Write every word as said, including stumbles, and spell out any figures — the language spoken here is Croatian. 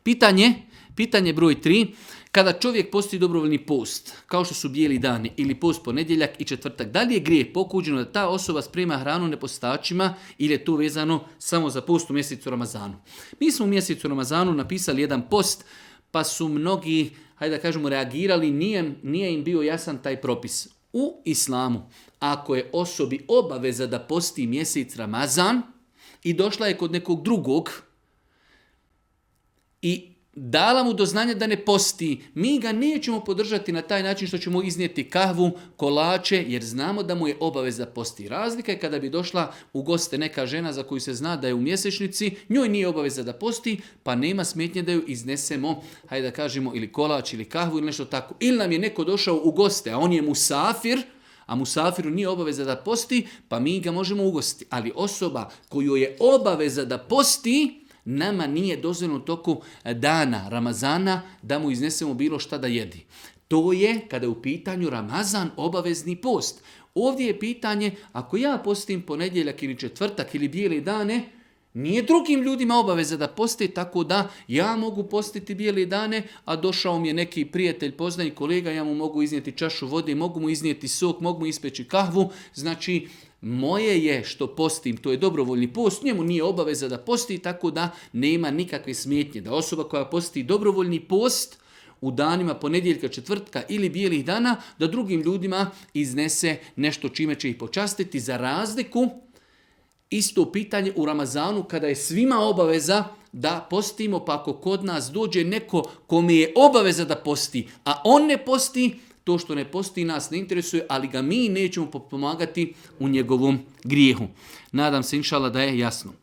Pitanje, pitanje broj tri. Kada čovjek posti dobrovoljni post, kao što su bijeli dani ili post ponedjeljak i četvrtak, da li je grijeh pokuđeno da ta osoba sprema hranu nepostačima ili je to vezano samo za post u mjesecu Ramazanu? Mi smo u mjesecu Ramazanu napisali jedan post, pa su mnogi, hajde da kažemo, reagirali, nije, nije im bio jasan taj propis. U islamu, ako je osobi obaveza da posti mjesec Ramazan i došla je kod nekog drugog i dala mu do znanja da ne posti, mi ga nećemo podržati na taj način što ćemo iznijeti kahvu, kolače, jer znamo da mu je obaveza posti. Razlika je kada bi došla u goste neka žena za koju se zna da je u mjesečnici, njoj nije obaveza da posti, pa nema smetnje da ju iznesemo, hajde da kažemo, ili kolač ili kahvu ili nešto tako. Ili nam je neko došao u goste, a on je musafir, a musafiru nije obaveza da posti, pa mi ga možemo ugostiti. Ali osoba koju je obaveza da posti, nama nije dozvoljeno u toku dana Ramazana da mu iznesemo bilo šta da jedi. To je kada je u pitanju Ramazan obavezni post. Ovdje je pitanje, ako ja postim ponedjeljak ili četvrtak ili bijele dane, nije drugim ljudima obaveza da poste, tako da ja mogu postiti bijele dane, a došao mi je neki prijatelj, poznanik, kolega, ja mu mogu iznijeti čašu vode, mogu mu iznijeti sok, mogu mu ispeći kahvu, znači moje je što postim, to je dobrovoljni post, njemu nije obaveza da posti, tako da nema nikakve smetnje. Da osoba koja posti dobrovoljni post u danima ponedjeljka, četvrtka ili bijelih dana, da drugim ljudima iznese nešto čime će ih počastiti, za razliku isto pitanje u Ramazanu kada je svima obaveza da postimo, pa ako kod nas dođe neko kome je obaveza da posti, a on ne posti, to što ne posti nas ne interesuje, ali ga mi nećemo pomagati u njegovom grijehu. Nadam se, inšala, da je jasno.